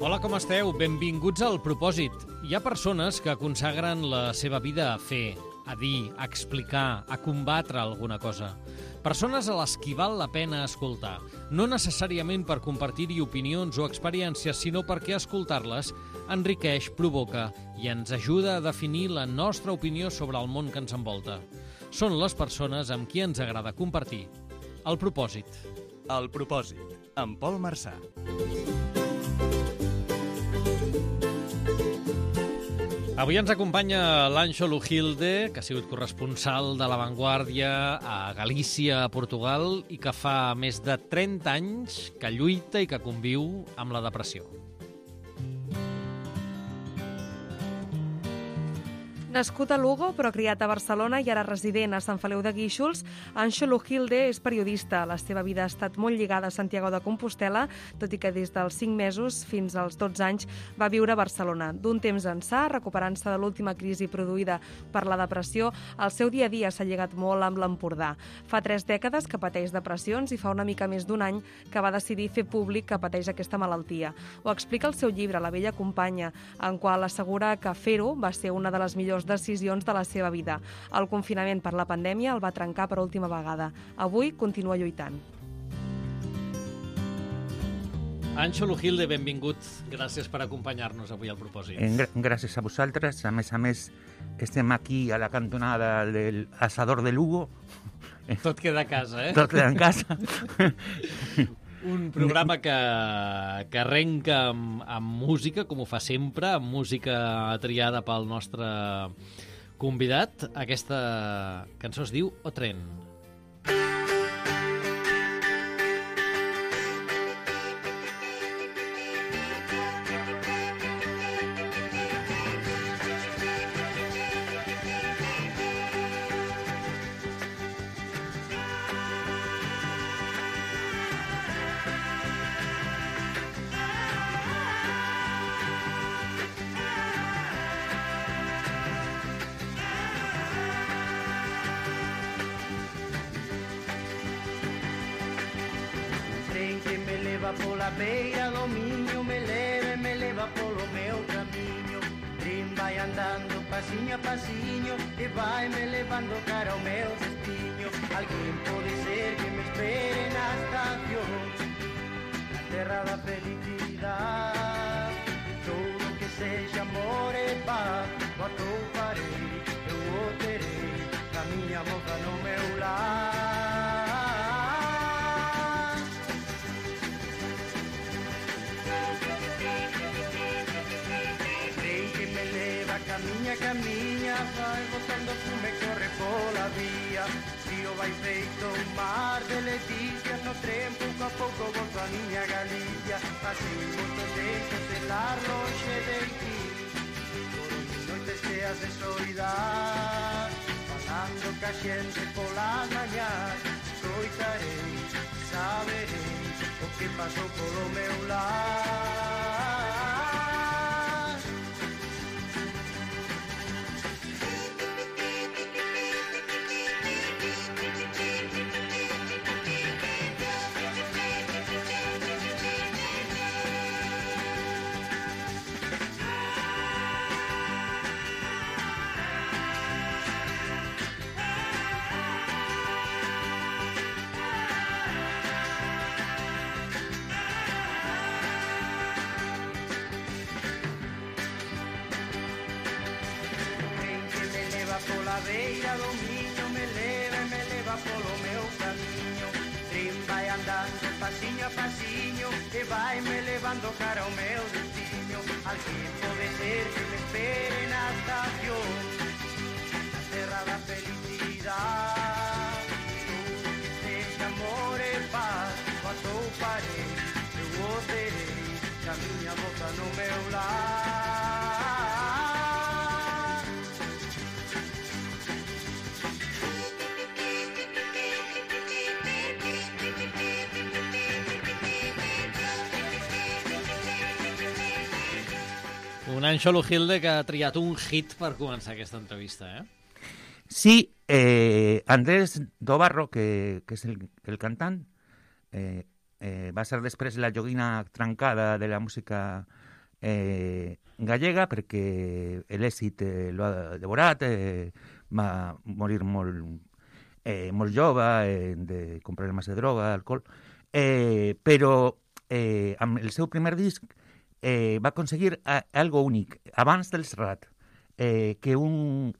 Hola, com esteu? Benvinguts al Propòsit. Hi ha persones que consagren la seva vida a fer, a dir, a explicar, a combatre alguna cosa. Persones a les qui val la pena escoltar. No necessàriament per compartir-hi opinions o experiències, sinó perquè escoltar-les enriqueix, provoca i ens ajuda a definir la nostra opinió sobre el món que ens envolta. Són les persones amb qui ens agrada compartir. El Propòsit. El Propòsit, amb Pol Marçà. Avui ens acompanya l'Anxo Lujilde, que ha sigut corresponsal de La Vanguardia a Galícia, a Portugal, i que fa més de 30 anys que lluita i que conviu amb la depressió. Nascut a Lugo, però criat a Barcelona i ara resident a Sant Feliu de Guíxols, Anxo Lujilde és periodista. La seva vida ha estat molt lligada a Santiago de Compostel·la, tot i que des dels 5 mesos fins als 12 anys va viure a Barcelona. D'un temps ençà, recuperant-se de l'última crisi produïda per la depressió, el seu dia a dia s'ha lligat molt amb l'Empordà. Fa 3 dècades que pateix depressions i fa una mica més d'un any que va decidir fer públic que pateix aquesta malaltia. Ho explica el seu llibre, La vella companya, en qual assegura que fer-ho va ser una de les millors decisions de la seva vida. El confinament per la pandèmia el va trencar per última vegada. Avui continua lluitant. Anxo Lujilde, benvingut. Gràcies per acompanyar-nos avui al Propòsit. Gràcies a vosaltres. A més, estem aquí a la cantonada del Asador de Lugo. Tot queda a casa, eh? Tot queda en casa. Un programa que arrenca amb música, com ho fa sempre, amb música triada pel nostre convidat. Aquesta cançó es diu O Tren. Pola beira do Miño me leva polo meu camiño. Tren vai andando pasiño a pasiño e vai me levando cara ao meu destino. Alguén pode ser que me espere na estación, na terra da felicidade. Todo que sexa amor e paz, o atoparei, eu o terei, na miña moza no meu lar. Camiña, vai botando fume, corre pola vía. Río vai feito un mar de leticias, no tren pouco a pouco volto a miña Galicia. Pasei moito tempo celar longe de ti, por noites cheas de soidade, falando ca xente polas mañás. Escoitarei, saberei o que pasou polo meu lar. Pola beira do Miño me leva polo meu camiño. Tren vai andando pasiño a pasiño e vai me levando cara ao meu destino. Alguén pode ser que me espere na estación, na terra da felicidade. Todo que sexa amor e paz, o atoparei, eu o terei, ca miña moza no meu lar. Un Anxo Lujilde que ha triat un hit per començar aquesta entrevista, eh? Sí, Andrés Dobarro, que és el cantant, va ser després la joguina trencada de la música gallega, perquè l'èxit l'ha devorat, va morir molt jove, com problemes de droga, alcohol, però amb el seu primer disc va aconseguir algo únic, abans del Serrat, que una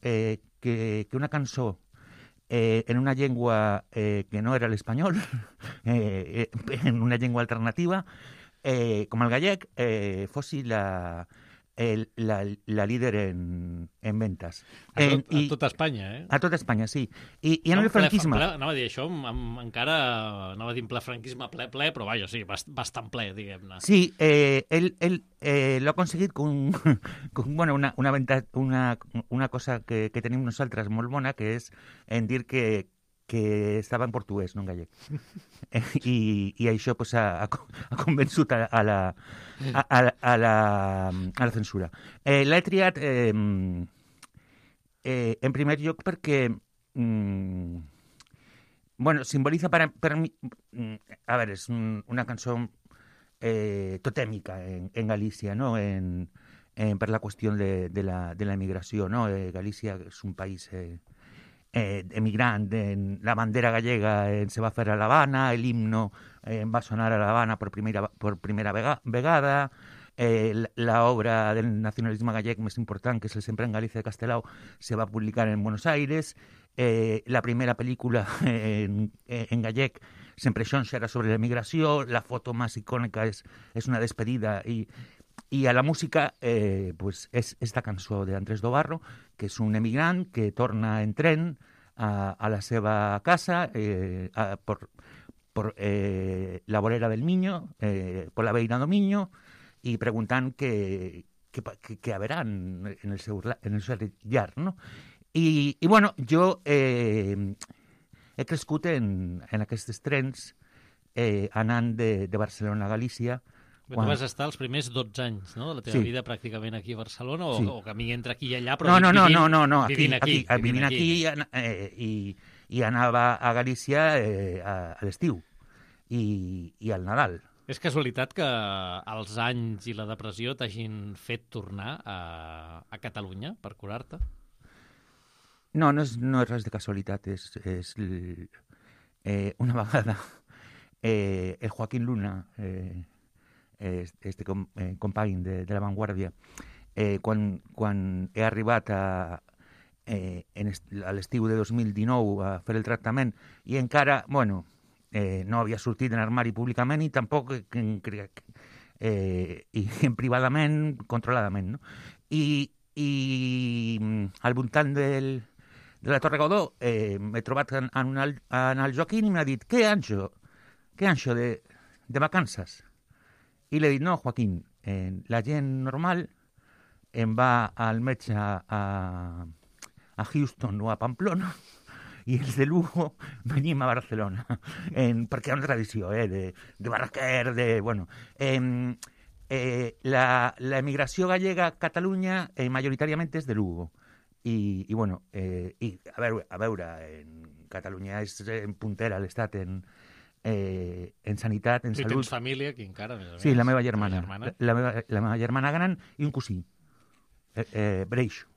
cançó en una llengua que no era l'espanyol, en una llengua alternativa, com el gallec, fos la líder en ventas. A tot Espanya, eh? A tot Espanya, sí. I en el franquisme... Anava a dir això, encara anava a dir en ple franquisme, ple, però vaja, sí, bastant ple, diguem-ne. Sí, él lo ha conseguit con una cosa que tenim nosaltres molt bona, que és en dir que estava en portuguès, no en gallec. I això pues, ha convençut a la censura. L'he triat en primer lloc perquè simboliza per mi... A veure, és una cançó totèmica en Galícia, no? Per la qüestió de la emigració, no? Galícia és un país... emigrant, la bandera gallega se va fer a l'Havana, l'himno va sonar a l'Havana por primera vegada, la obra del nacionalisme gallec més important, que és el Sempre en Galícia de Castelao, se va publicar en Buenos Aires, la primera pel·lícula en gallec, Sempre Xonxa, era sobre l'emigració, la foto més icònica és una despedida, i a la música pues és esta cançó d'Andrés Dobarro, que és un emigrant que torna en tren a la seva casa por la vorera del Miño, por la Beira do Miño, i preguntant què haverà en el seu llar, no? I bueno, jo he crescut en aquests trens anant de Barcelona a Galícia. Tu vas estar els primers 12 anys, no?, de la teva vida pràcticament aquí a Barcelona, o camí entre aquí i allà, però vivint aquí. I anava a Galícia a l'estiu i al Nadal. És casualitat que els anys i la depressió t'hagin fet tornar a Catalunya per curar-te? No és res de casualitat. És una vegada el Joaquín Luna... este company de La Vanguardia, quan he arribat a l'estiu de 2019 a fer el tractament i encara, no havia sortit en armari públicament i tampoc privadament, controladament, no? I al voltant de la Torre Godó m'he trobat en el Joaquín i m'ha dit «Què, Anxo de vacances?» I li he dit, no, Joaquín, la gent normal va al metge a Houston o a Pamplona i els de Lugo venim a Barcelona, perquè hi ha una tradició de Barraquer, la emigració gallega a Catalunya majoritàriament és de Lugo. I a veure, Catalunya és puntera a l'estat en sanitat, en salut. I tens família aquí encara, a més a més. Sí, la meva germana. La meva germana gran i un cosí, Breixo.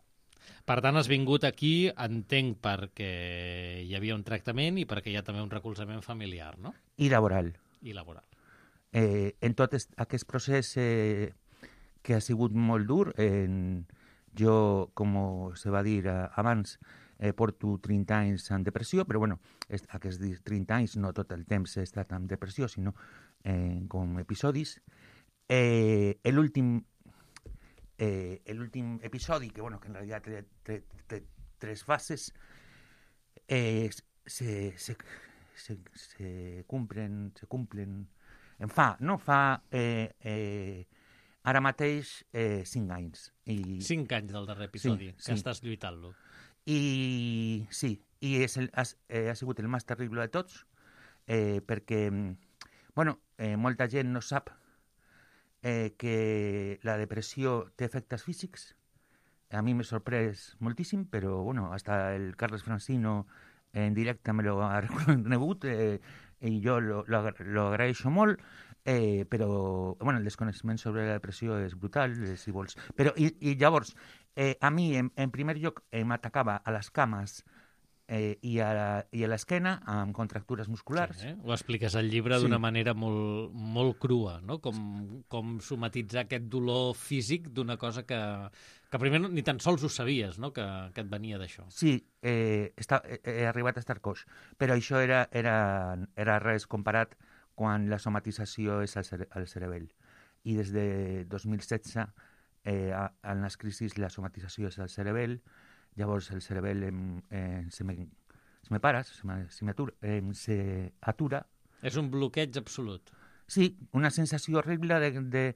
Per tant, has vingut aquí, entenc, perquè hi havia un tractament i perquè hi ha també un recolzament familiar, no? I laboral. En tot aquest procés que ha sigut molt dur, jo, com se va dir abans, porto 30 anys en depressió, però aquests 30 anys no tot el temps he estat en depressió, sinó com episodis. L'últim episodi, que en realitat té 3 fases, se cumplen fa ara mateix 5 anys. 5 anys del darrer episodi, que estàs lluitant-lo. I sí, ha sigut el més terrible de tots, perquè molta gent no sap que la depressió té efectes físics. A mi m'ha sorprès moltíssim, però hasta el Carles Francino en directe me lo ha reconegut i jo lo agraeixo molt. Però, bueno, el desconeixement sobre la depressió és brutal, si vols. Però, i llavors, a mi, en primer lloc, m'atacava a les cames i a l'esquena amb contractures musculars. Sí, ho expliques al llibre d'una manera molt, molt crua, no? Com somatitzar aquest dolor físic d'una cosa que primer ni tan sols ho sabies, no? Que et venia d'això. Sí, he arribat a estar coix, però això era res comparat quan la somatització és al cerebell. I des de 2016, en les crisis, la somatització és al cerebell. Llavors el cerebell s'atura. És un bloqueig absolut. Sí, una sensació horrible de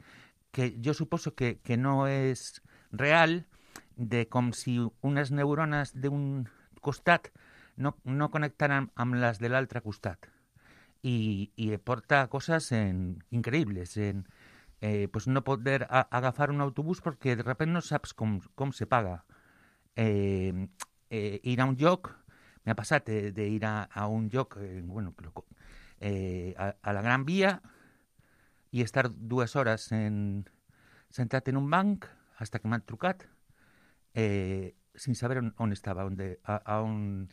que jo suposo que no és real, de com si unes neurones d'un costat no connectaran amb les de l'altre costat. I porta coses increïbles, pues no poder agafar un autobús perquè de repente no saps com se paga. Ir a un lloc, m'ha passat d'ir a un lloc, a la Gran Via i estar 2 hores sentat en un banc fins que m'han trucat sense saber on estava, a on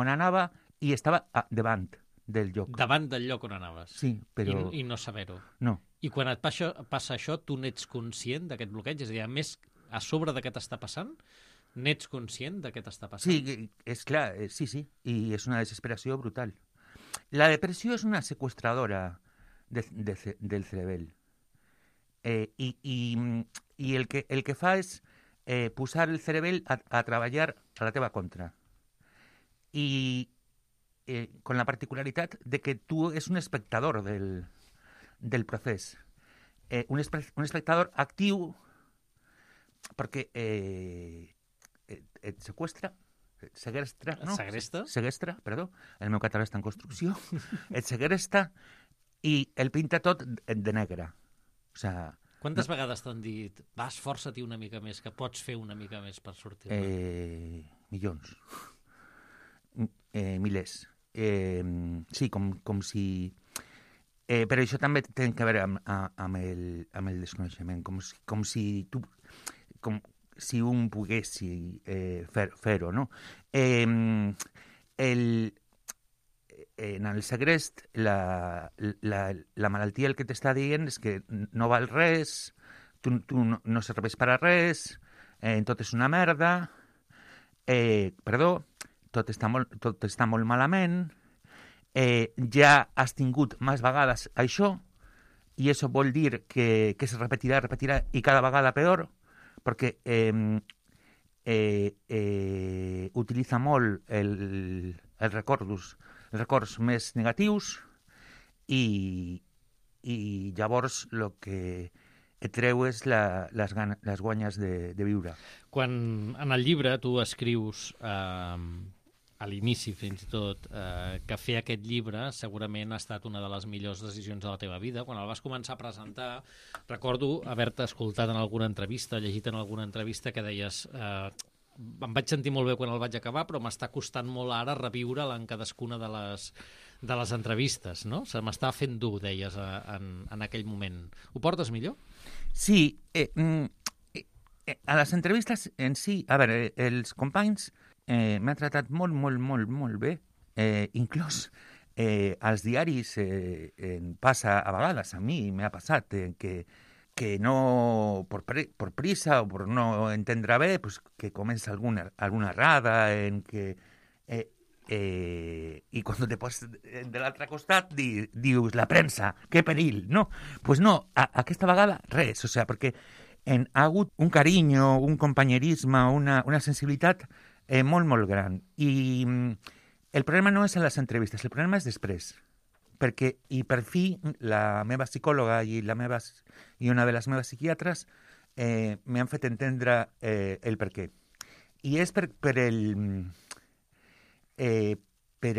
anava, i estava davant del lloc. Davant del lloc on anaves? Sí, però... I no saber-ho? No. I quan et passa això, tu n'ets conscient d'aquest bloqueig? És a dir, a més, a sobre de què t'està passant, n'ets conscient de què t'està passant? Sí, és clar, sí, i és una desesperació brutal. La depressió és una secuestradora del cerebell. I el que fa és posar el cerebell a treballar a la teva contra. I con la particularitat de que tu és un espectador del procés. Un espectador actiu perquè et segresta, no? Segresta, perdó, el meu català està en construcció. Et segresta i el pinta tot de negre. O sigui, quantes vegades t'han dit, va, esforça-t'hi una mica més, que pots fer una mica més per sortir-ne? Milions. Milers. Sí, com si... però això també té a veure amb el desconeixement, com si tu... si un pogués fer-ho, no? En el segrest, la malaltia el que t'està dient és que no val res, tu no serveix per a res, tot és una merda, tot està molt malament, ja has tingut més vegades això, i això vol dir que se repetirà i cada vegada peor, perquè utilitza molt els records més negatius i llavors el que et treu és les guanyes de viure. Quan en el llibre tu escrius a l'inici fins i tot que fer aquest llibre segurament ha estat una de les millors decisions de la teva vida. Quan el vas començar a presentar, recordo haver-te escoltat en alguna entrevista, llegit en alguna entrevista que deies em vaig sentir molt bé quan el vaig acabar, però m'està costant molt ara reveure'l en cadascuna de les entrevistes, no? Se m'està fent dur, deies, en aquell moment. Ho portes millor? Sí. A les entrevistes en si, a veure, els companys m'han tratat molt, molt, molt, molt bé. Inclús als diaris passa a vegades, a mi m'ha passat, que no, por prisa o por no entendre bé, pues, que comença alguna errada, en que... i quan te poses de l'altre costat dius, la premsa, que perill, no? Pues no, aquesta vegada res, o sigui, perquè ha hagut un carinyo, un companyerisme, una sensibilitat molt, molt gran. I el problema no és a les entrevistes, el problema és després. Perquè, i per fi, la meva psicòloga i una de les meves psiquiatres m'han fet entendre el per què. I és per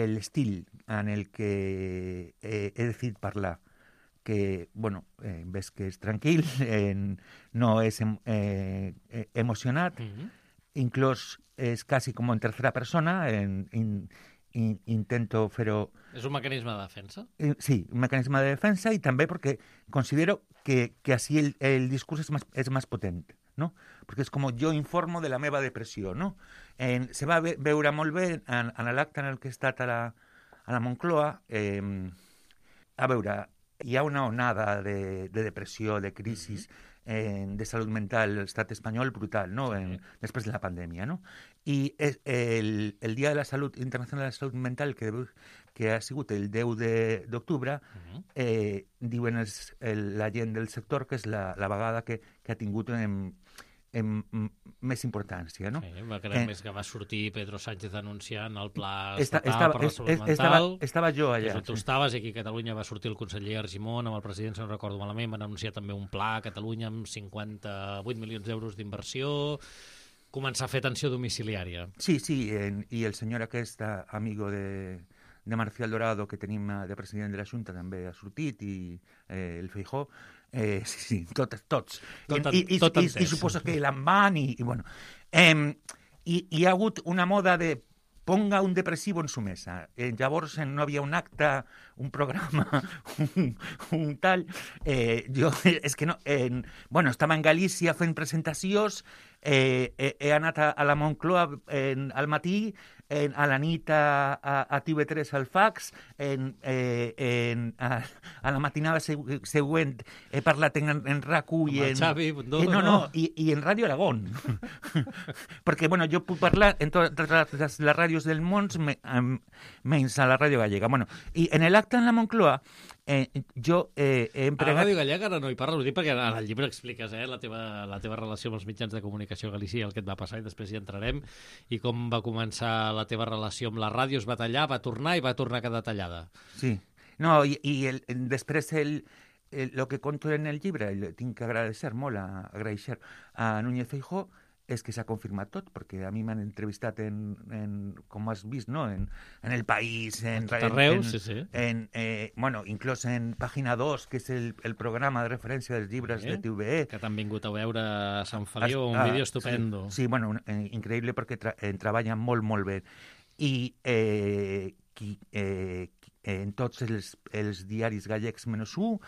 l'estil en el que he decidit parlar, que, bueno, ves que és tranquil, no és emocionat, inclús és quasi com en tercera persona, intento fer-ho... És un mecanisme de defensa? Sí, un mecanisme de defensa i també perquè considero que así el discurs és més potent, no? Perquè és com jo informo de la meva depressió, no? Se va veure molt bé en l'acte en el que he estat a la Moncloa. A veure, hi ha una onada de depressió, de crisi, de salut mental a l'estat espanyol brutal, no? Després de la pandèmia, no? I el Dia de la Salut Internacional de la Salut Mental, que ha sigut el 10 d'octubre, diuen la gent del sector que és la vegada que ha tingut més importància, no? Sí, més que va sortir Pedro Sánchez anunciant el pla estatal per la salut mental. Estava jo allà. Tu estaves, i aquí a Catalunya va sortir el conseller Argimon amb el president, si no recordo malament, van anunciar també un pla a Catalunya amb 58 milions d'euros d'inversió, començar a fer atenció domiciliària. Sí, i el senyor aquest, amigo de Marcial Dorado, que tenim de president de la Junta, també ha sortit, i el Feijóo. Sí, tots. I suposo que l'envan i bueno. I hi ha hagut una moda de ponga un depressivo en su mesa. Llavors no havia un acte, un programa, un tal. Jo, és que no... Bueno, estava en Galícia fent presentacions, he anat a la Moncloa al matí, a la nit a TV3 al fax, a la matinada següent he parlat en RAC1 i Xavi Bundó, i en Ràdio Aragón. Perquè, bueno, jo puc parlar en totes les ràdios del món, menys a la ràdio gallega. Bueno, i en l'acte en la Moncloa jo he empregat... A la ràdio gallega ara no hi parles, ho dic perquè en el llibre expliques la teva relació amb els mitjans de comunicació a Galícia, el que et va passar, i després hi entrarem, i com va començar la teva relació amb la ràdio, es va tallar, va tornar i va tornar a quedar tallada. Sí, no, i després el que conto en el llibre, tinc que agraeixer molt a Núñez Feijóo, és que s'ha confirmat tot, perquè a mi m'han entrevistat com has vist, no? En El País, en arreu, sí. Bueno, inclús en Pàgina 2, que és el programa de referència dels llibres de TVE. Que t'han vingut a veure a Sant Feliu, un vídeo estupendo. Sí, bueno, increïble perquè treballen molt, molt bé. I en tots els diaris gallecs menys un,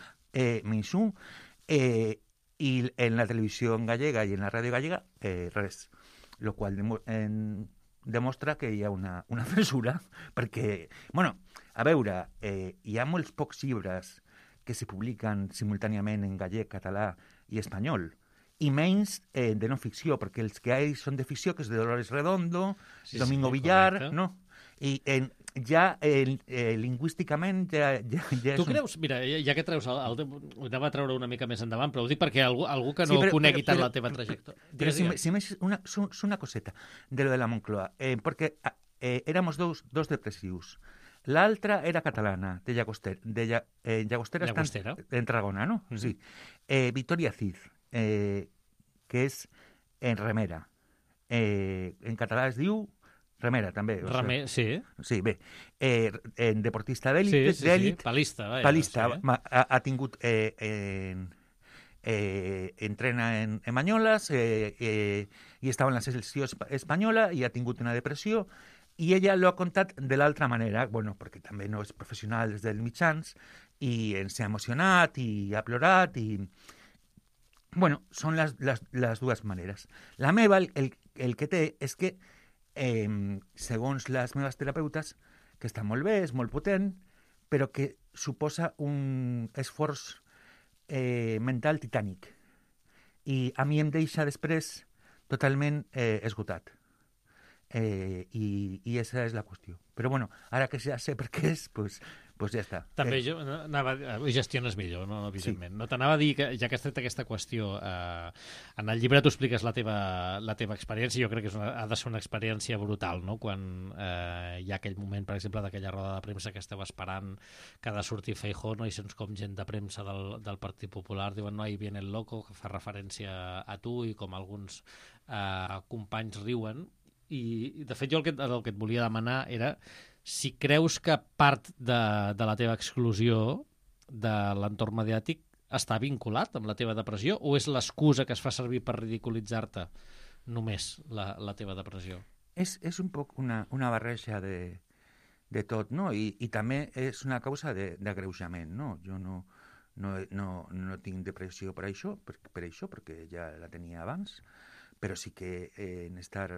i en la televisió gallega i en la ràdio gallega, res. Lo qual demostra que hi ha una censura, perquè, bueno, a veure, hi ha molts pocs llibres que se publiquen simultàniament en gallec, català i espanyol, i menys de no ficció, perquè els que hi són de ficció, que és de Dolores Redondo, Domingo Villar, correcte. No? I ja lingüísticament ja tu creus, mira, ja que treus ho anava a treure una mica més endavant, però ho dic perquè algú que no conegui tant la teva trajectòria. Però si més una coseta de lo de la Moncloa, perquè éramos dos depressius. L'altra era catalana, de Llagostera està en Tarragona, no? Sí. Victoria Cid, que és en remera. En català es diu remera, també. Sí. Sí, bé. Deportista d'èlit. Sí, palista. Ha tingut... entrena en Banyoles i estava en la selecció espanyola i ha tingut una depressió, i ella l'ha contat de l'altra manera, bueno, perquè també no és professional des dels mitjans, i s'ha emocionat i ha plorat, i... Bueno, són les dues maneres. La meva, el que té és que segons les meves terapeutes, que està molt bé, és molt potent, però que suposa un esforç mental titànic. I a mi em deixa després totalment esgotat. I esa és la qüestió. Però bueno, ara que ja sé per què és, pues ja està. També jo gestiones millor, no? Evidentment. Sí. No t'anava a dir que, ja que has tret aquesta qüestió, en el llibre tu expliques la teva experiència. Jo crec que ha de ser una experiència brutal, no? Quan hi ha aquell moment, per exemple, d'aquella roda de premsa que esteu esperant que ha de sortir Feijóo, no? I sents com gent de premsa del Partit Popular diuen no, ahí viene el loco, que fa referència a tu, i com alguns companys riuen. I, de fet, jo el que et volia demanar era si creus que part de la teva exclusió de l'entorn mediàtic està vinculat amb la teva depressió, o és l'excusa que es fa servir per ridiculitzar-te només la teva depressió? És un poc una barreja de tot, no? I també és una causa d'agreujament, no? Jo no tinc depressió per això, perquè ja la tenia abans, però sí que en estar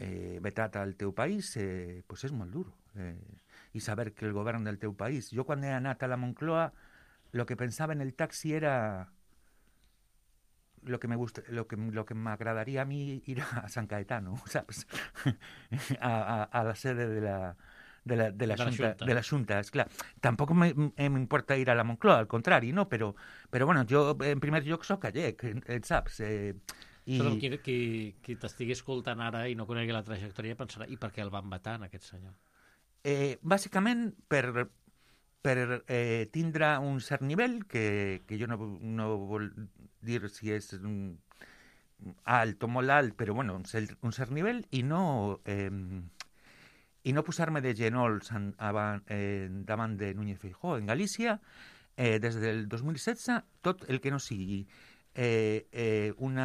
vetat al teu país pues és molt dur. I saber que el govern del teu país... Jo quan he anat a la Moncloa, el que pensava en el taxi era lo que m'agradaria a mi ir a San Cayetano, saps? a la sede de la Junta. Esclar, tampoc m'importa ir a la Moncloa, al contrari, no? Però bueno, jo en primer lloc soc gallec, saps? Però qui t'estigui escoltant ara i no conegui la trajectòria pensarà i per què el van vetar, aquest senyor? Bàsicament per tindre un cert nivell, que jo no vol dir si és alt o molt alt, però bueno, un cert nivell, i no posar-me de genolls davant de Núñez Feijóo. En Galícia, des del 2016, tot el que no sigui un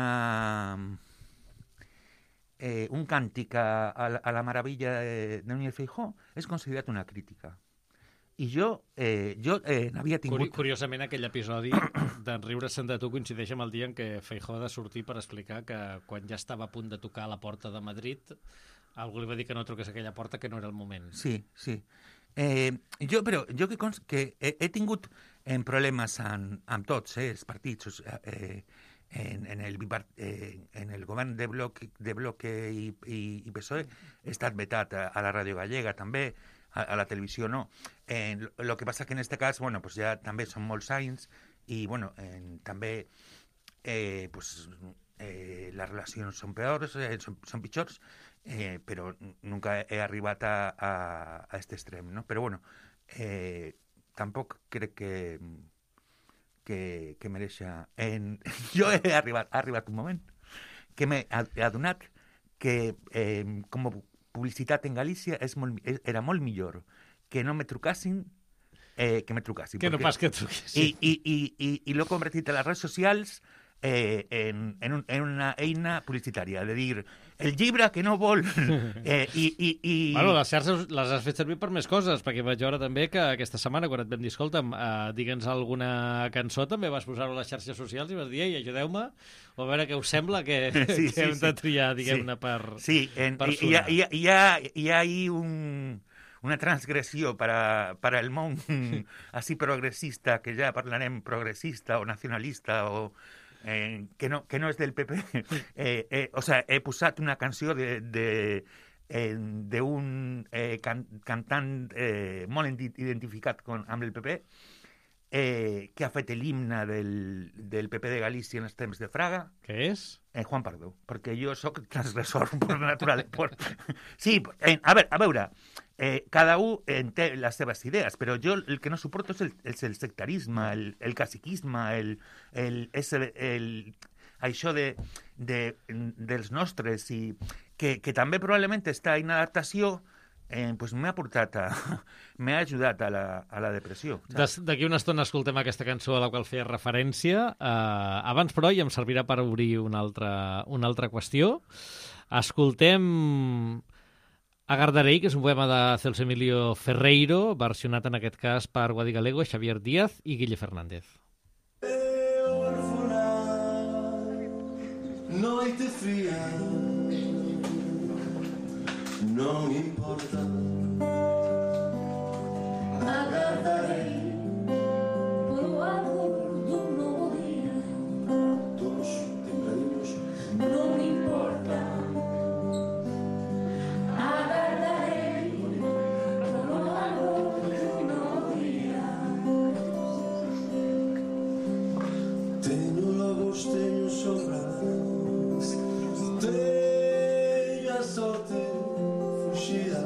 càntic a la meravella de Núñez Feijóo és considerat una crítica. I jo n'havia tingut... Curiosament, aquell episodi d'en riure-se'n de tu coincideix amb el dia en què Feijóo ha de sortir per explicar que quan ja estava a punt de tocar a la porta de Madrid, algú li va dir que no truqués a aquella porta, que no era el moment. Sí. Jo que he tingut problemes amb tots els partits, en el govern de Bloc i PSOE he estat vetat a la Ràdio Gallega també, a la televisió no. Lo que passa que en este cas, bueno, pues ja també són molts anys i, bueno, també les relacions són peors, són pitjors, però nunca he arribat a este extrem, no? Però, bueno, tampoc crec que mereixia... Jo he arribat un moment que m'he adonat que com a publicitat en Galícia era molt millor que no me trucassin que me trucassin. Que no pas que truquessin. I l'he convertit a les redes socials en una eina publicitària, de dir, el llibre que no vol... Bueno, les xarxes les has fet servir per més coses, perquè vaig veure també que aquesta setmana, quan et vam dir, escolta'm, digue'ns alguna cançó, també vas posar-ho a les xarxes socials i vas dir, ei, ajudeu-me, o a veure què us sembla que hem de triar, diguem-ne, per sonar. Hi ha ahí una transgressió para el món así progressista, que ja parlarem progressista o nacionalista o... que no és del PP. O sea, he posat una canció d'un cantant molt identificat amb el PP, que ha fet l'himne del PP de Galícia en els temps de Fraga. Què és? Juan Pardo, perquè jo sóc transgressor per naturalesa. Sí, a veure, cada un té les seves idees, però jo el que no suporto és el sectarisme, el caciquisme, això dels nostres, i que també probablement està en adaptació, pues m'ha ajudat a la depressió. D'aquí una estona escoltem aquesta cançó a la qual feia referència. Abans, però, i em servirà per obrir una altra qüestió. Escoltem Agardarei, que és un poema de Celso Emilio Ferreiro, versionat en aquest cas per Guadi Galego, Xavier Díaz i Guille Fernández. Noite fría, non importa, agardarei polo árbol dun novo día, todos tembladimos, non importa, agardarei polo árbol dun novo día. Teño lobos, teño sombras, teño a sorte fuxida.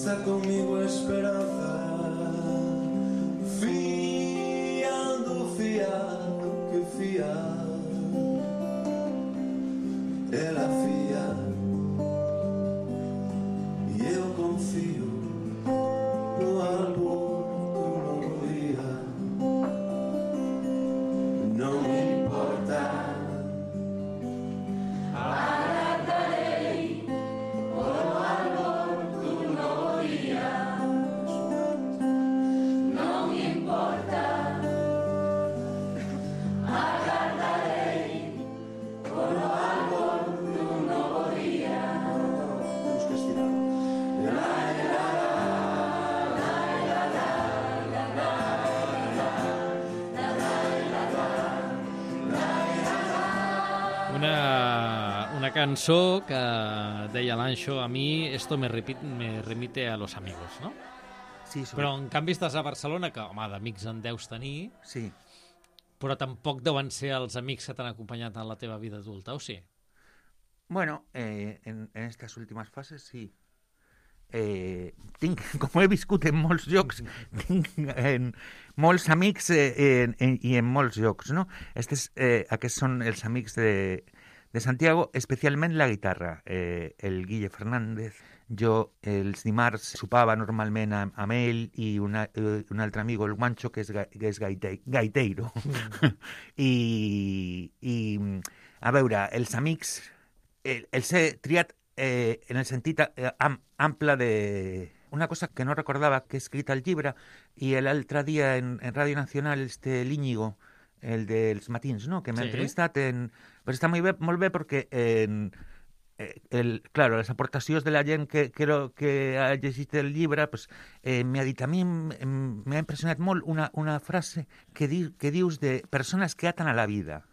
está conmigo esperanza, fiando, fiado, que fiar, ela fia, e eu confio no amor que não morria, não me importa. Temos que estirar. Una cançó que deia l'Anxo, a mi esto me remite a los amigos, no? Sí, Però en canvi estàs a Barcelona, que home, d'amics en deus tenir, sí. però tampoc deuen ser els amics que t'han acompanyat en la teva vida adulta, o sí? Bueno, en estas últimas fases sí. Tinc, com he viscut en molts llocs, tinc molts amics i en molts llocs, no? Aquests són els amics de Santiago, especialment la guitarra. El Guille Fernández. Jo els dimarts sopava normalment amb ell i un altre amigo, el Guancho, que és gaiteiro. I a veure, els amics els he triat en el sentit ample de... Una cosa que no recordava, que he escrit al llibre, i l'altre dia en Ràdio Nacional, l'Íñigo, el dels matins, no?, que m'ha entrevistat, però està molt bé perquè claro, les aportacions de la gent que ha llegit el llibre, pues, m'ha dit, a mi m'ha impressionat molt una frase que dius de persones que aten a la vida.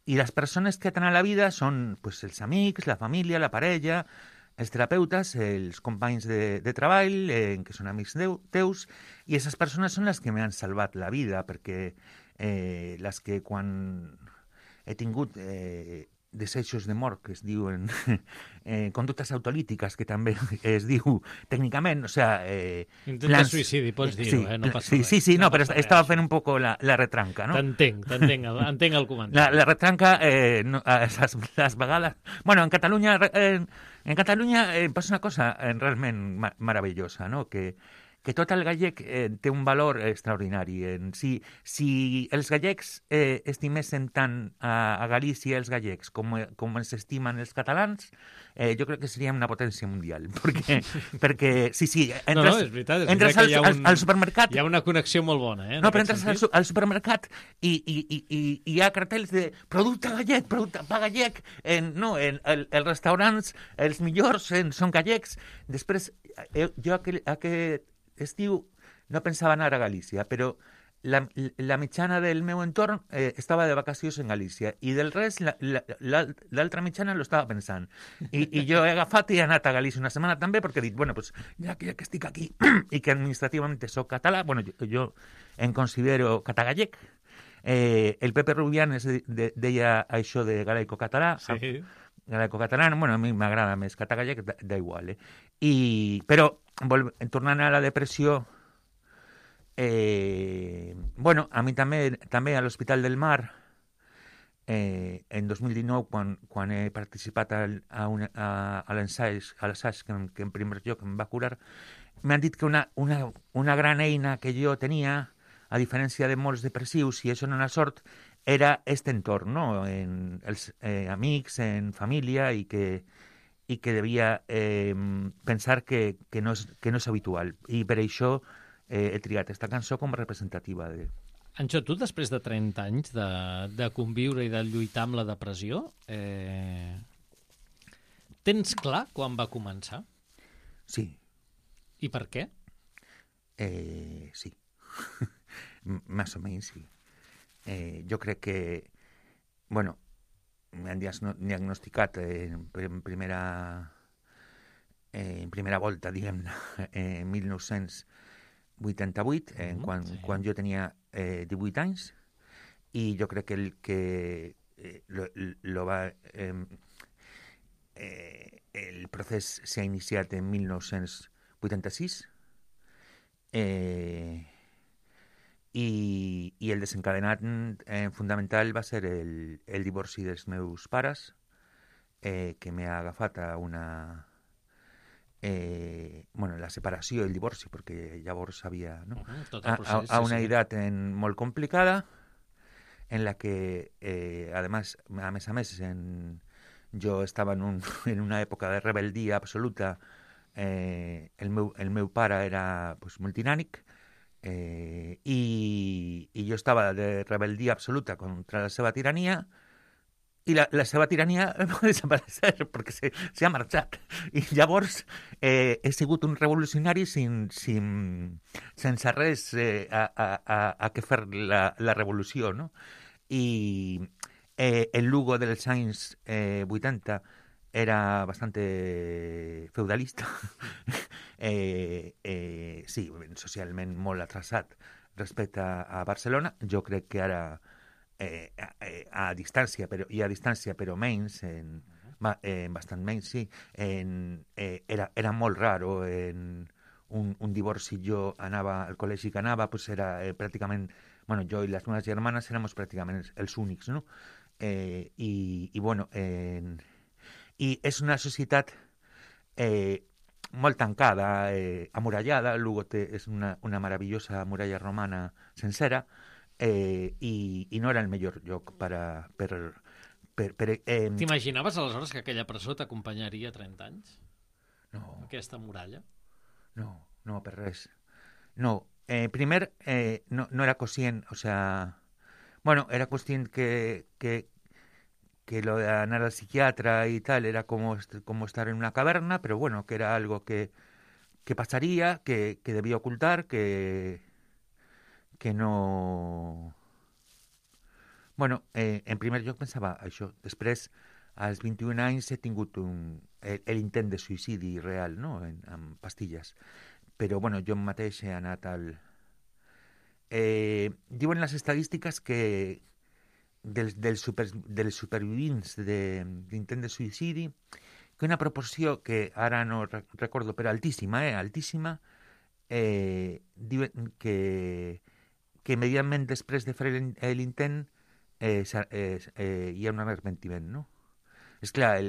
I les persones que aten a la vida són, pues, els amics, la família, la parella, els terapeutes, els companys de treball, que són amics teus, i aquestes persones són les que m'han salvat la vida, perquè les que quan he tingut deseixos de mort, que es diuen conductes autolítiques, que també es diu tècnicament, o sigui... Intenta suïcidi, pots dir-ho, no passa res. Sí, no, però estava fent un poc la retranca, no? Entenc el comentari. La retranca, les vegades... Bueno, en Catalunya passa una cosa realment meravellosa, no?, que tot el gallec té un valor extraordinari. Si els gallecs estimessin tant a Galícia els gallecs com ens estimen els catalans, jo crec que seríem una potència mundial. Perquè sí, és veritat, entres al supermercat... Hi ha una connexió molt bona, No, però entres al supermercat i hi ha cartells de producte gallec, producte pa gallec, els restaurants, els millors són gallecs. Després, jo aquest estiu no pensava anar a Galícia, però la mitjana del meu entorn estava de vacacions en Galícia i del rest l'altra mitjana lo estava pensant. I jo he agafat i he anat a Galícia una setmana també perquè he dit, bueno, pues, ja que estic aquí i que administrativament soc català, bueno, jo em considero català-gallec. El Pepe Rubianes deia això de galaico-català. Sí. Galaico-català, bueno, a mi m'agrada més català-gallec, da igual, Però, tornant a la depressió, bueno, a mi també a l'Hospital del Mar, en 2019, quan he participat a l'assaig que en primer lloc em va curar, m'han dit que una gran eina que jo tenia, a diferència de molts depressius, i això no era sort, era aquest entorn, no? En els amics, en família, i que devia pensar que no és habitual. I per això he triat aquesta cançó com a representativa de... Anxo, tu després de 30 anys de conviure i de lluitar amb la depressió, tens clar quan va començar? Sí. I per què? Sí. Més o menys, sí. Jo crec que, bueno, m'han diagnosticat en primera volta, diguem-ne, en 1988, quan jo tenia 18 anys, i jo crec que el procés s'ha iniciat en 1988, 86. I el desencadenat fundamental va ser el divorci dels meus pares, que m'ha agafat a una... la separació i el divorci, perquè llavors havia... No? Tot el procés, a una edat molt complicada, en la que, a més, jo estava en una època de rebeldia absoluta. El meu pare era multinànic, i jo estava de rebeldia absoluta contra la seva tirania, i la seva tirania va desaparèixer perquè s'ha marxat. I llavors he sigut un revolucionari sense res a què fer la revolució, no? I el Lugo dels anys 80 era bastante feudalista, sí, socialment molt atrasat respecte a Barcelona. Jo crec que ara a distància, però menys, bastant menys, sí. Era molt raro. Un divorci, jo anava al col·legi que anava, pues era pràcticament... Bueno, jo i les meves germanes éramos pràcticament els únics, no? I és una societat molt tancada, amurallada. Lugo és una meravellosa muralla romana sencera, i no era el millor lloc per T'imaginaves aleshores que aquella presó t'acompanyaria 30 anys? No. Aquesta muralla? No, per res. No, primer, no era conscient, o sea... Bueno, era conscient que lo de anar al psiquiatra y tal era como estar en una caverna, pero bueno, que era algo que pasaría, que debía ocultar, que no... Bueno, en primer lloc pensava això. Després, als 21 anys, he tingut l'intent de suïcidi real, no?, amb pastilles. Però, bueno, jo mateix he anat al... diuen les estadístiques que dels supervivents d'intent de suïcidi, que una proporció que ara no recordo, però altíssima, diuen que immediatament després de fer l'intent hi ha un arrepentiment, no? És clar,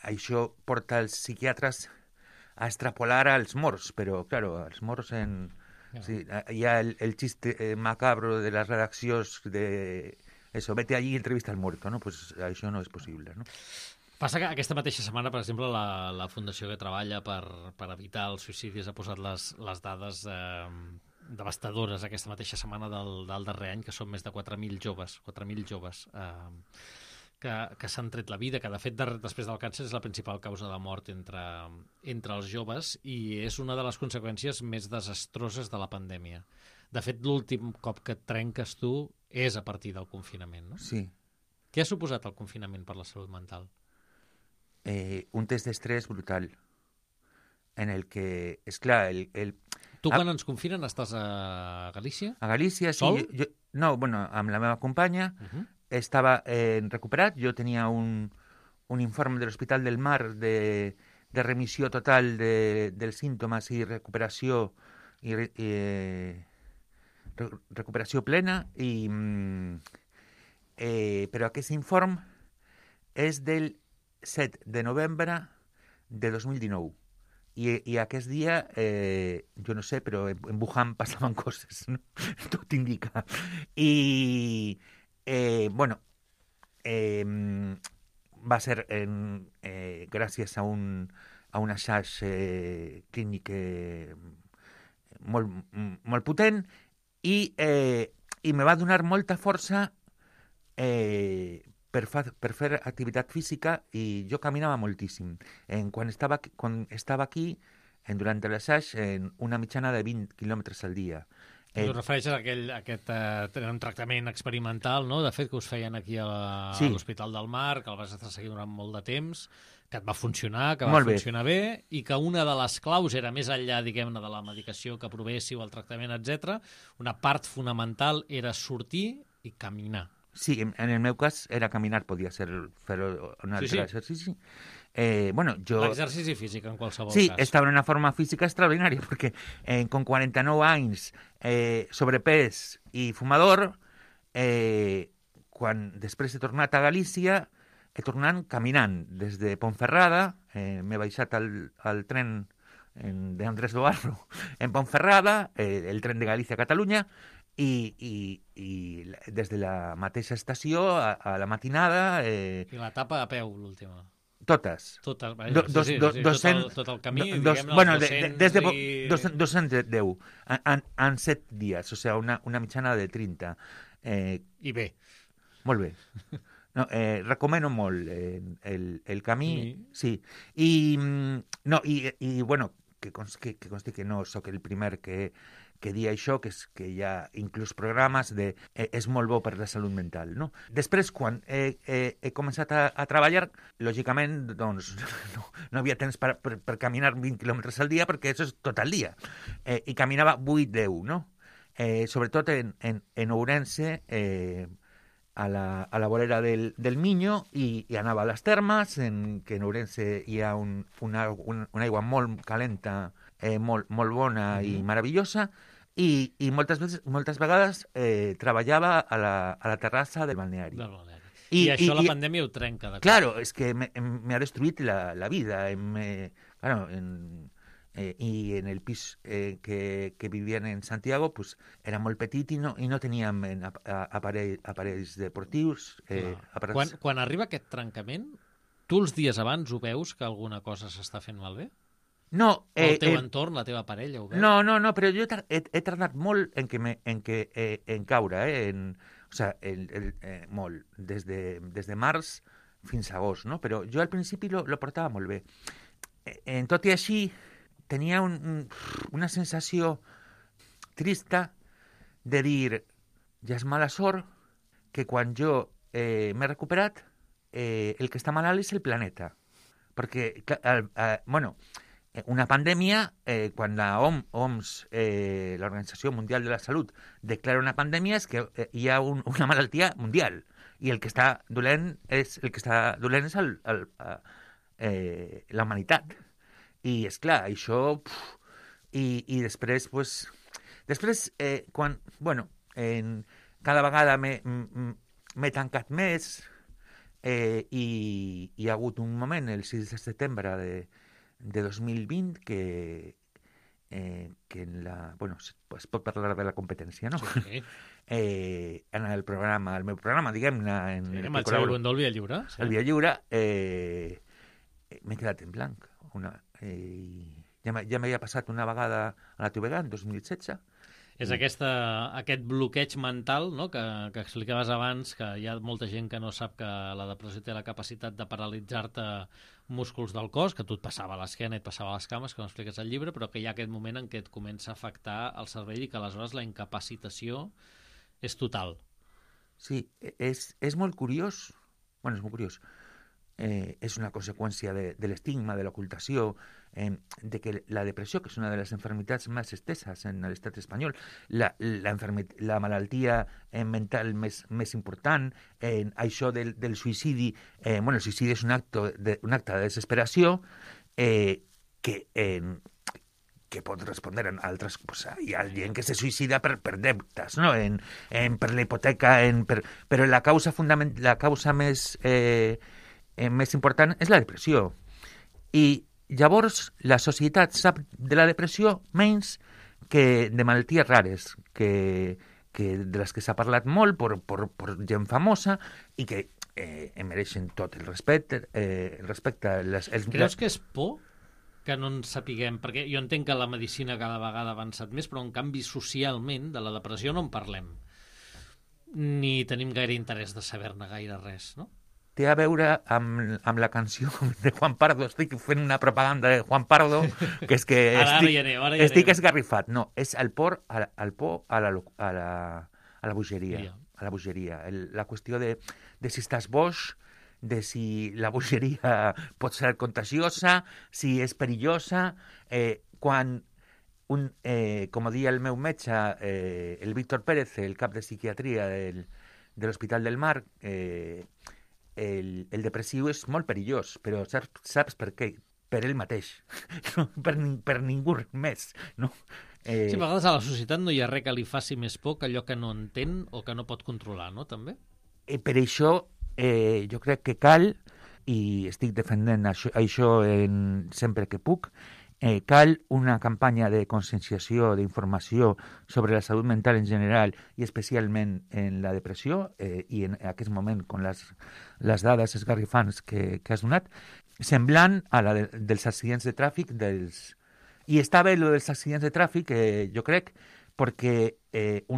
això porta els psiquiatres a extrapolar als morts, però, claro, els morts sí, hi ha el chiste macabro de les redaccions de eso, vete allí y entrevista al muerto, no? Pues això no és possible, no? Passa que aquesta mateixa setmana, per exemple, la fundació que treballa per evitar els suïcidis ha posat les dades devastadores aquesta mateixa setmana del darrer any, que són més de 4.000 joves que s'han tret la vida, que de fet després del càncer és la principal causa de mort entre els joves, i és una de les conseqüències més desastroses de la pandèmia. De fet, l'últim cop que et trenques tu és a partir del confinament, no? Sí. Què ha suposat el confinament per la salut mental? Un test d'estrès brutal, en el que, és clar, Tu quan ens confinen estàs a Galícia? A Galícia, sí. Sol? No, bueno, amb la meva companya. Estava recuperat. Jo tenia un informe de l'Hospital del Mar de remissió total dels símptomes i recuperació recuperació plena, però aquest informe és del 7 de novembre de 2019. I aquest dia, jo no sé, però en Wuhan passaven coses, no? Tot indica. I, bueno, va ser gràcies a una xarxa clínica molt potent, i me va donar molta força per fer activitat física, i jo caminava moltíssim. Quan estava aquí, durant l'assaig, una mitjana de 20 quilòmetres al dia. Tu refereixes a aquest tractament experimental, no? De fet, que us feien aquí a l'Hospital del Mar, que el vas estar seguint durant molt de temps, que et va funcionar, que va funcionar bé, i que una de les claus era, més enllà, diguem-ne, de la medicació que provessiu, el tractament, etc., una part fonamental era sortir i caminar. Sí, en el meu cas era caminar, podia ser fer un altre exercici. Bueno, jo... L'exercici físic, en qualsevol Sí, cas. estava en una forma física extraordinària, perquè con 49 anys, sobrepès i fumador, quan després he tornat a Galícia, he tornat caminant des de Ponferrada, m'he baixat al tren d'Andrés Dobarro en Ponferrada, el tren de Galícia a Catalunya, i des de la mateixa estació a la matinada... I l'etapa a peu, l'última. Totes. Tot el camí, diguem-ne, bueno, els 200 des de i... 210 en 7 dies, o sigui, una mitjana de 30. I bé. Molt bé. No, recomano molt el camí, sí. I bueno, que consti que no sóc el primer que dia això, que hi ha inclús programes de és molt bo per la salut mental, no? Després, quan he començat a treballar, lògicament, doncs, no havia temps per caminar 20 quilòmetres al dia, perquè això és tot el dia. I caminava 8-10, no? Sobretot en Ourense, a la vorera del Miño, i anava a les termes, que en Ourense hi ha una aigua molt calenta, molt bona i meravellosa, i moltes vegades treballava a la terrassa del balneari. I això la pandèmia ho trenca. Claro, és que me ha destruït la vida. Claro, y en el pis que vivían en Santiago, pues era molt petit i no teníem aparells deportius. Quan arriba aquest trencament, tu els dies abans ho veus que alguna cosa s'està fent malbé? No. El teu entorn, la teva parella, ho veu? No, però jo he tardat molt en caure, o sigui, molt, des de març fins a agost, no? Però jo al principi lo portava molt bé. Tot i així, tenia una sensació trista de dir, ja és mala sort que quan jo m'he recuperat, el que està malalt és el planeta. Perquè, bueno, una pandèmia, quan la OMS, l'Organització Mundial de la Salut, declara una pandèmia, és que hi ha una malaltia mundial. I el que està dolent és la humanitat. I, esclar, això... I després, pues... Després, quan... Bueno, cada vegada m'he tancat més i hi ha hagut un moment, el 6 de setembre de 2020, que bueno, es pot parlar de la competència, no? Sí. En el meu programa, diguem-ne... Sí, amb el Xavier Bundó, el Via Lliure. El Via Lliure, m'he quedat en blanc. Ja m'havia passat una vegada a la TVG en 2016. És aquest bloqueig mental, no?, que explicaves abans, que hi ha molta gent que no sap que la depressió té la capacitat de paralitzar-te músculs del cos, que a tu et passava a l'esquena i et passava a les cames, que no expliques al llibre, però que hi ha aquest moment en què et comença a afectar el cervell i que aleshores la incapacitació és total. Sí, és molt curiós. Bueno, és molt curiós. És una conseqüència de l'estigma, de l'ocultació, de que la depressió, que és una de les enfermitats més esteses en l'estat espanyol, la malaltia mental més important, això del suïcidi, bueno, el suïcidi és un acte de desesperació que pot respondre en altres... Pues, hi ha gent que se suïcida per deutes, no? Per la hipoteca, però la causa més important és la depressió. I llavors la societat sap de la depressió menys que de malalties rares, que de les que s'ha parlat molt per gent famosa i que mereixen tot el respecte. Creus que és por que no en sapiguem? Perquè jo entenc que la medicina cada vegada ha avançat més, però en canvi socialment de la depressió no en parlem. Ni tenim gaire interès de saber-ne gaire res, no? Té a veure amb la canció de Juan Pardo. Estic fent una propaganda de Juan Pardo, que és que estic esgarrifat. No, és el por a la bogeria. A la bogeria. La qüestió de si estàs boix, de si la bogeria pot ser contagiosa, si és perillosa. Quan, com deia el meu metge, el Víctor Pérez, el cap de psiquiatria de l'Hospital del Mar, el depressiu és molt perillós, però saps per què? Per ell mateix, no per ningú més, no? Sí, a vegades a la societat no hi ha res que li faci més por que allò que no entén o que no pot controlar, no, també? Per això jo crec que cal, i estic defendent això sempre que puc, cal una campanya de conscienciació, d'informació sobre la salut mental en general i especialment en la depressió, i en aquest moment, amb les dades esgarrifants que has donat, semblant a la dels accidents de tràfic. I està bé lo dels accidents de tràfic, jo crec, perquè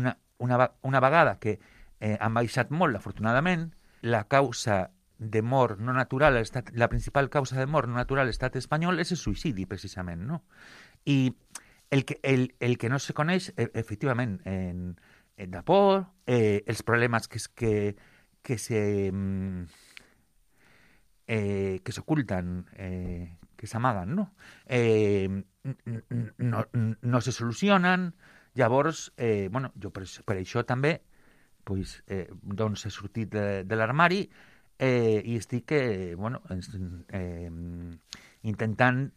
una vegada que han baixat molt, afortunadament, la causa de mort no natural, la principal causa de mort no natural a l'estat espanyol és el suïcidi, precisament, no? I el que no se coneix, efectivament, de por, els problemes que s'oculten, que s'amaguen, no? No se solucionen. Llavors, jo per això també doncs he sortit de l'armari i estic intentant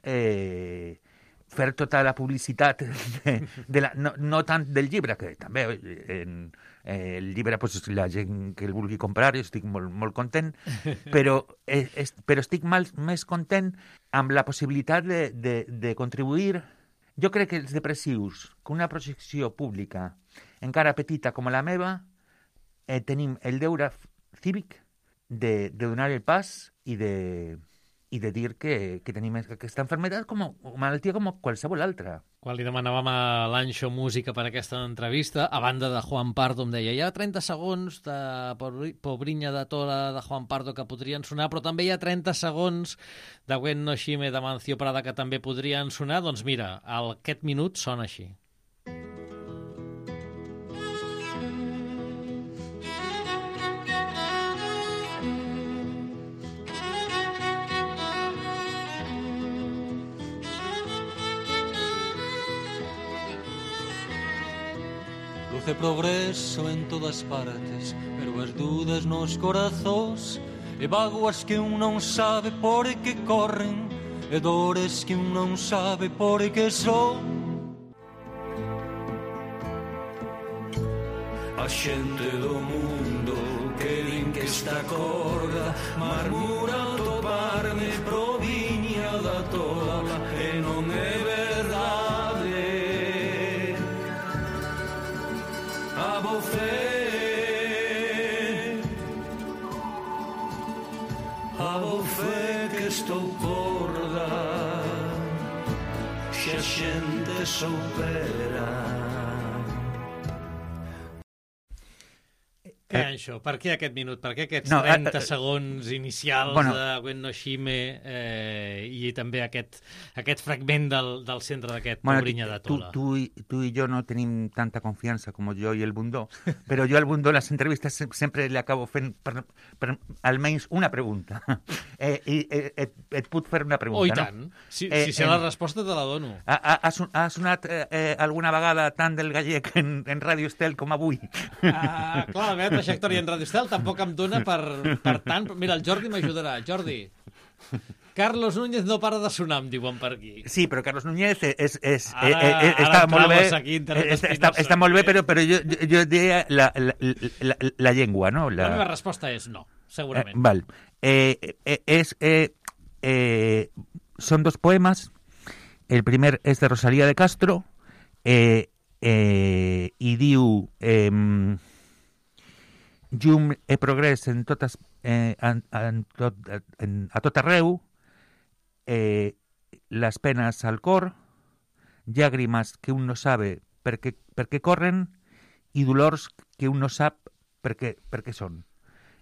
fer tota la publicitat no tant del llibre, que també el llibre, la gent que el vulgui comprar, jo estic molt, molt content, però estic més content amb la possibilitat de contribuir. Jo crec que els depressius, que una projecció pública encara petita com la meva, tenim el deure cívic de donar el pas i de dir que tenim aquesta malaltia com malaltia com qualsevol altra. Quan li demanàvem a l'Anxo música per aquesta entrevista, a banda de Juan Pardo, em deia, hi ha 30 segons de Pobriña de Tola de Juan Pardo que podrien sonar, però també hi ha 30 segons de Gwen no Shime de Mancio Prada que també podrien sonar. Doncs mira, aquest minut sona així. Luce progreso en todas partes, pero as dudas nos corazóns, e vaguas que un non sabe por que corren, e dores que un non sabe por que son. A xente do mundo que din que esta corda marmura toparme proviña da tola, e non é verdade. A bofé que estou corda, se a xente soubera. Què, Anxo? Per què aquest minut? Per què aquests 30 segons inicials de Gwen no Shime i també aquest fragment del centre d'aquest Pobriña de Tola? Tu i jo no tenim tanta confiança com jo i el Bundó, però jo al Bundó les entrevistes sempre li acabo fent per almenys una pregunta. Et puc fer una pregunta, no? Oh, i tant. Si sé la resposta te la dono. Ha sonat alguna vegada tant del gallec en Ràdio Estel com avui? Clar, la meva trajectòria en Ràdio Estel tampoc em dona per tant. Mira, el Jordi m'ajudarà. Jordi, Carlos Núñez no para de sonar, em diuen per aquí. Sí, però Carlos Núñez està molt bé. Està molt bé, però jo diria la llengua, no? La meva resposta és no, segurament. Val. Són dos poemes. El primer és de Rosalía de Castro i diu... Llum e progrés a tot arreu, les penes al cor, llàgrimes que un no sabe per què corren i dolors que un no sap per què són.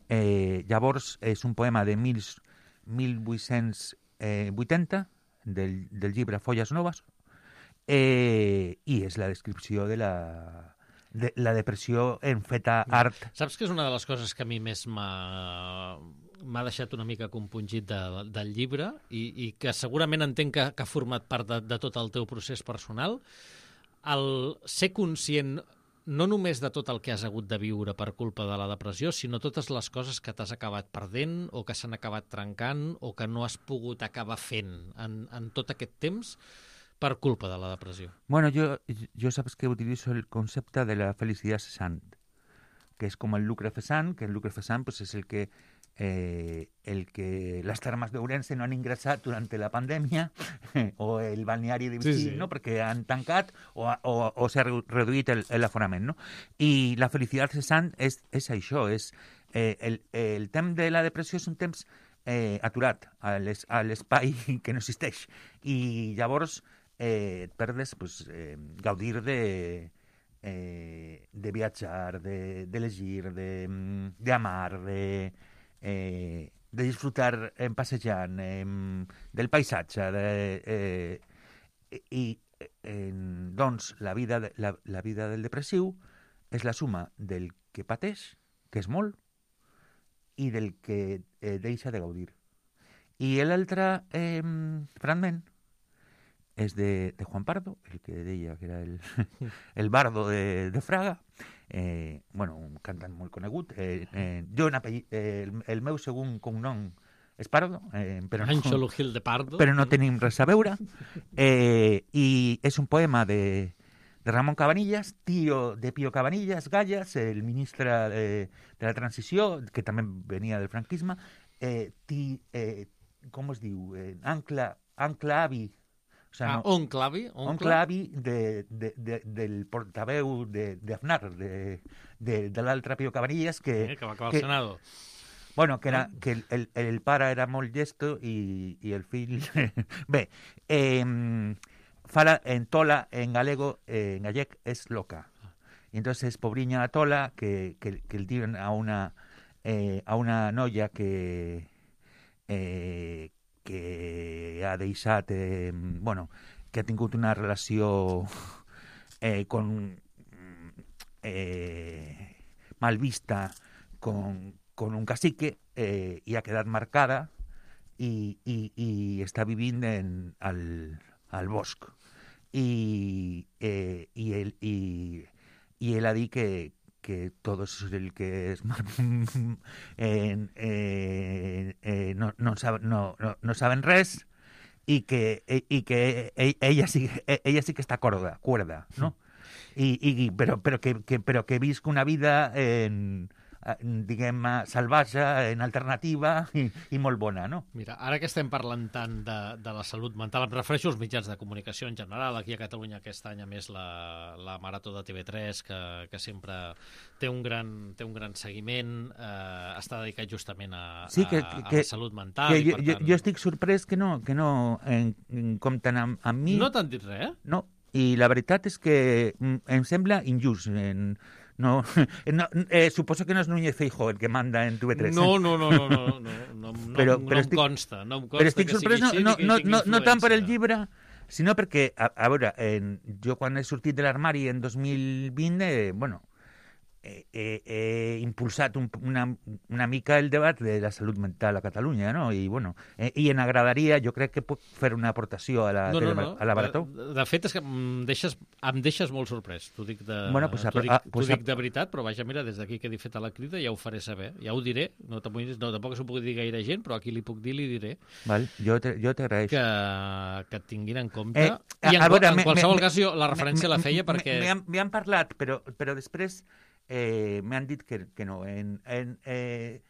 Llavors és un poema de 1880 del llibre Folles Noves i és la descripció de la depressió en feta art. Saps que és una de les coses que a mi més m'ha deixat una mica compungit del llibre i que segurament entenc que ha format part de tot el teu procés personal? El ser conscient no només de tot el que has hagut de viure per culpa de la depressió, sinó totes les coses que t'has acabat perdent o que s'han acabat trencant o que no has pogut acabar fent en tot aquest temps per culpa de la depressió. Bueno, yo sabes que utilizo el concepto de la felicidad cesante, que es como el lucre cesant, que el lucre cesant pues, es el que las termas de Ourense no han ingresado durante la pandemia o el balneari de Vichy, sí. no? Perquè han tancat o s'ha reduït l'aforament. No? I la felicitat cessant és això, és el temps de la depressió és un temps aturat a l'espai que no existeix. I llavors et perdes pues, gaudir de viatjar, de llegir, d'amar, de disfrutar passejant, del paisatge. Doncs la vida del depressiu és la suma del que pateix, que és molt, i del que deixa de gaudir. I l'altre fragment és de Juan Pardo, el que deia que era el bardo de Fraga, bueno, un cantant molt conegut. Jo el meu segon cognom és Pardo, però Anxo Lugil de Pardo. Però no tenim res a veure. I és un poema de Ramon Cabanillas, tío de Pío Cabanillas Gallas, el ministre de la transició, que també venia del franquisme, com es diu? Ancla avi. O sea, oncle avi? Oncle avi del portaveu d'Aznar, de l'altre Pío Cabanillas, que va acabar al Senado. Bueno, que el pare era molt llesto i el fill... Bé, fala en tola, en galego, en gallec, és loca. Y entonces, pobriña la tola, que el diuen a una noia que ha deixat, bueno, que ha tingut una relació mal vista con un cacique i ha quedat marcada i està vivint al bosc. I ell ha dit que todos el que es no saben res y que ella sí que está cuerda, ¿no? Pero que visca una vida diguem, salvatge, en alternativa i molt bona, no? Mira, ara que estem parlant tant de la salut mental, em refereixo als mitjans de comunicació en general. Aquí a Catalunya aquest any, a més, la Marató de TV3, que sempre té un gran seguiment, està dedicat justament a la salut mental. Jo estic sorprès que no compten amb mi. No t'han dit res, eh? No, i la veritat és que em sembla injust. Suposo que no és Núñez Feijóo el que manda en TV3. No em consta. Però estic sorprès no tant per el llibre, sinó perquè, a veure, jo quan he sortit de l'armari en 2020, bueno, he impulsat una mica el debat de la salut mental a Catalunya, no? I, bueno, i em agradaria, jo crec que puc fer una aportació a la Marató. De fet, és que em deixes molt sorprès. T'ho dic de veritat, però vaja, mira, des d'aquí que he fet a la crida ja ho faré saber, ja ho diré. No, tampoc s'ho puc dir gaire gent, però aquí li puc dir, li diré. Val, jo t'agraeixo. Que et tinguin en compte. I en qualsevol cas, jo la referència la feia perquè... M'han parlat, però després m'han dit que no. Hi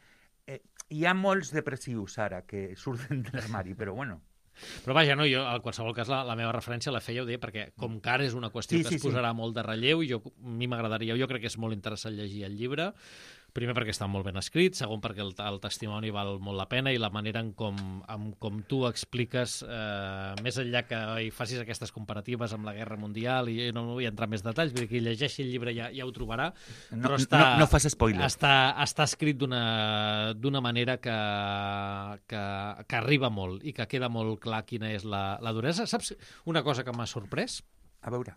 ha molts depressius ara que surten de l'armari, però bueno. Però vaja, no, jo a qualsevol cas la meva referència la feia, ho deia, perquè com que ara és una qüestió que es posarà molt de relleu, i a mi m'agradaria, jo crec que és molt interessant llegir el llibre, primer perquè està molt ben escrit, segon perquè el testimoni val molt la pena i la manera en com tu expliques, més enllà que hi facis aquestes comparatives amb la Guerra Mundial, i no vull entrar en més detalls, vull dir que qui llegeixi el llibre ja ho trobarà, però no fas spoiler. Està escrit d'una manera que arriba molt i que queda molt clar quina és la duresa. Saps una cosa que m'ha sorprès? A veure.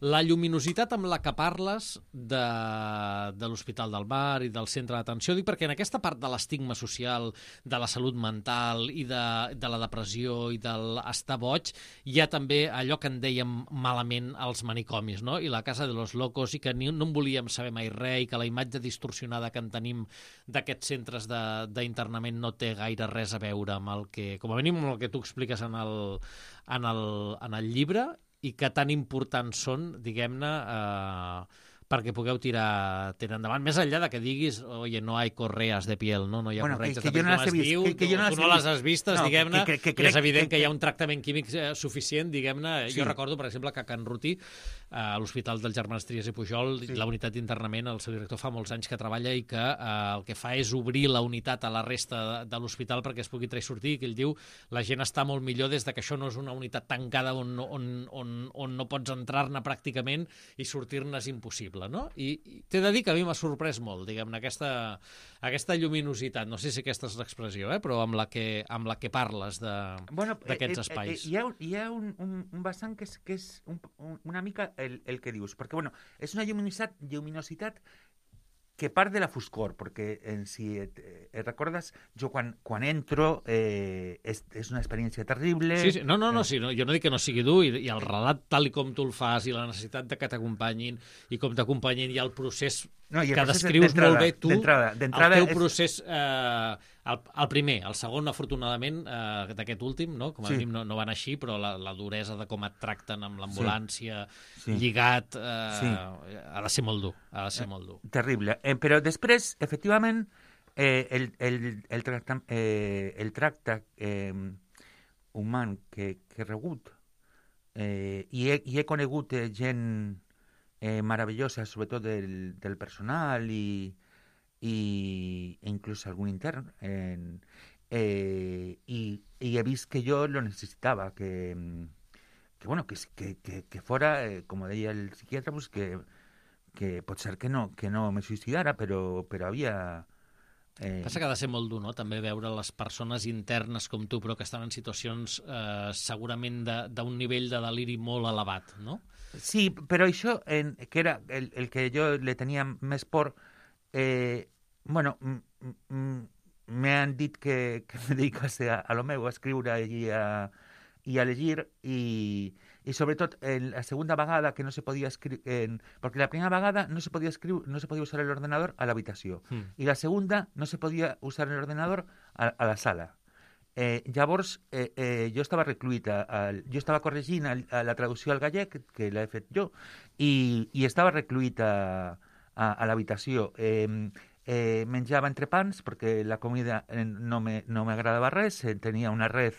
La lluminositat amb la que parles de l'Hospital del Mar i del centre d'atenció, dic perquè en aquesta part de l'estigma social, de la salut mental i de la depressió i de l'estar boig, hi ha també allò que en dèiem malament als manicomis, no? I la Casa de los Locos, i que no en volíem saber mai res, i que la imatge distorsionada que en tenim d'aquests centres d'internament no té gaire res a veure amb el que, com a mínim, amb el que tu expliques en el llibre, i que tan importants són, diguem-ne, perquè pugueu tirar endavant. Més enllà de que diguis, oye, no hay correas de piel, no hi ha corretges de piel, com es diu, tu no les has vistes, diguem-ne, i és evident que hi ha un tractament químic suficient, diguem-ne. Jo recordo, per exemple, que a Can Rutí, a l'Hospital dels Germans Trias i Pujol, la unitat d'internament, el seu director fa molts anys que treballa i que el que fa és obrir la unitat a la resta de l'hospital perquè es pugui entrar i sortir, i que ell diu la gent està molt millor des que això no és una unitat tancada on no pots entrar-ne pràcticament i sortir-ne és impossible. No? I t'he de dir que a mi m'ha sorprès molt, diguem-ne, aquesta lluminositat, no sé si aquesta és l'expressió, però amb la que parles d'aquests espais. Hi ha un vessant que és una mica el que dius, perquè és una lluminositat que part de la foscor, perquè si recordes, jo quan entro és una experiència terrible. Sí. No, jo no dic que no sigui dur, i el relat tal com tu el fas, i la necessitat de que t'acompanyin, i com t'acompanyin, i el procés que descrius molt bé tu, el teu procés, el primer, el segon, afortunadament, d'aquest últim, no? Com a mínim no van així, però la duresa de com et tracten amb l'ambulància, lligat, ha de ser molt dur, Terrible. Però després, efectivament, el tracte humà que he rebut, i he conegut gent meravellosa, sobretot del personal i inclús algun intern, i he vist que jo lo necesitava, que fora, com deia el psiquiatre, pues que pot ser que no me suïcidara, però havia... Passa que ha de ser molt dur, no?, també veure les persones internes com tu, però que estan en situacions segurament d'un nivell de deliri molt elevat, no? Sí, però això, que era el que jo le tenia més por, me han dit que me dedicase a lo meu, a escriure i a llegir, i sobretot la segunda vegada que no se podia escriure, perquè la primera vegada no se podia escriure, no se podia usar l'ordenador a l'habitació, i la segunda no se podia usar l'ordenador a la sala. Llavors, jo estava recluït, jo estava corregint la traducció al gallec, que l'he fet jo, i estava recluït a l'habitació. Menjava entrepans, perquè la comida no m'agradava res, tenia una red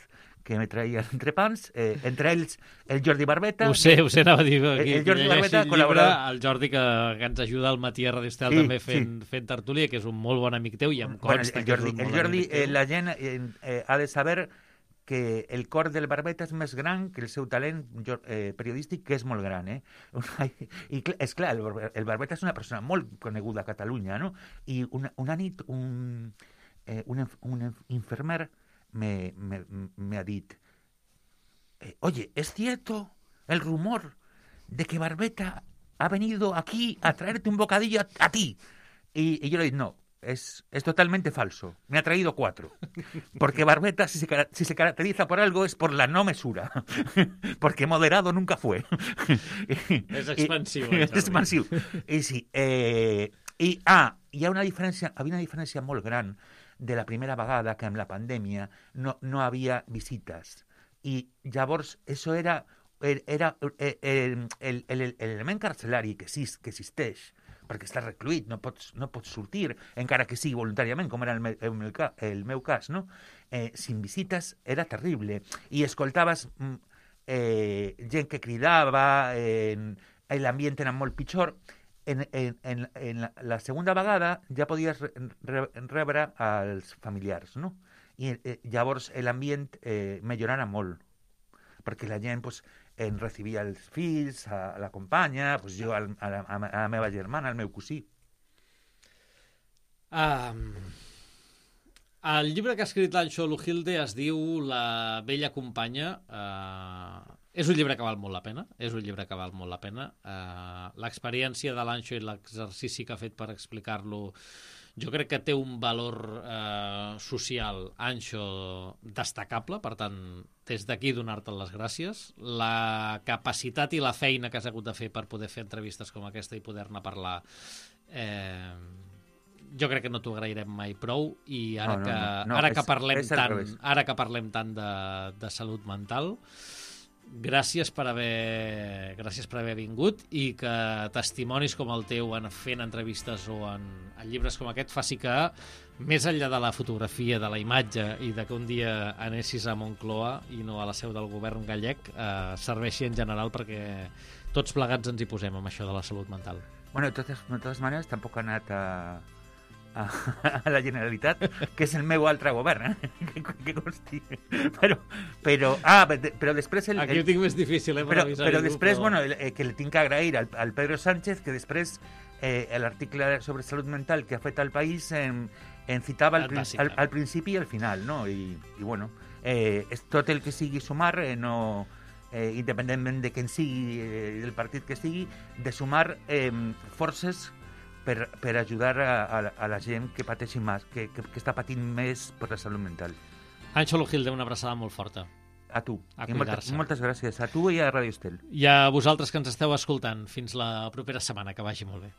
que me traia entrepans, entre ells el Jordi Barbeta. Ho sé, anava a dir. El Jordi Barbeta col·laborava. El Jordi, que ens ajuda al matí a Radio Estel, també fent tertúlia, que és un molt bon amic teu, i em consta que és un molt bon amic teu. La gent ha de saber que el cor del Barbeta és més gran que el seu talent periodístic, que és molt gran, I és clar, el Barbeta és una persona molt coneguda a Catalunya, no? I una nit un infermer me ha dit, oye, ¿es cierto el rumor de que Barbeta ha venido aquí a traerte un bocadillo a ti? Y yo le digo, no, es totalmente falso. Me ha traído 4. Porque Barbeta, si se caracteriza por algo, es por la no mesura. Porque moderado nunca fue. Es expansivo. Es expansivo. Y sí. Hi ha una diferència, havia una diferència molt gran de la primera vegada que amb la pandèmia no havia visites. I llavors, això era l'element carcelari que existeix, perquè estàs recluït, no pots sortir, encara que sigui voluntàriament, com era el meu cas, no? Sin visites era terrible. I escoltaves gent que cridava, l'ambient era molt pitjor. En la segunda vegada ja podies rebre als familiars, no? I llavors l'ambient millorava molt, perquè la gent en recibia els fills, a la companya, jo a la meva germana, al meu cosí. El llibre que ha escrit l'Anxo Lujilde es diu La vella companya. És un llibre que val molt la pena, L'experiència de l'Anxo i l'exercici que ha fet per explicar-lo jo crec que té un valor social, Anxo, destacable, per tant, des d'aquí donar-te les gràcies. La capacitat i la feina que has hagut de fer per poder fer entrevistes com aquesta i poder-ne parlar, jo crec que no t'ho agrairem mai prou, i ara que parlem tant de salut mental, gràcies per haver vingut, i que testimonis com el teu fent entrevistes o en llibres com aquest faci que, més enllà de la fotografia, de la imatge i de que un dia anessis a Moncloa i no a la seu del govern gallec, serveixi en general perquè tots plegats ens hi posem amb això de la salut mental. Bueno, de totes maneres, tampoc ha anat a la Generalitat, que és el meu altre govern, que consti. Però després... Aquí ho tinc més difícil, però després, bueno, que li tinc que agrair al Pedro Sánchez, que després l'article sobre salut mental que ha fet al País en citava al principi i al final, no? I bueno, és tot el que sigui sumar, independentment de quin sigui, del partit que sigui, de sumar forces per ajudar a la gent que pateixi més, que està patint més per la salut mental. Anxo Lujilde, una abraçada molt forta. A tu. A I moltes gràcies. A tu i a Radio Estel. I a vosaltres que ens esteu escoltant. Fins la propera setmana. Que vagi molt bé.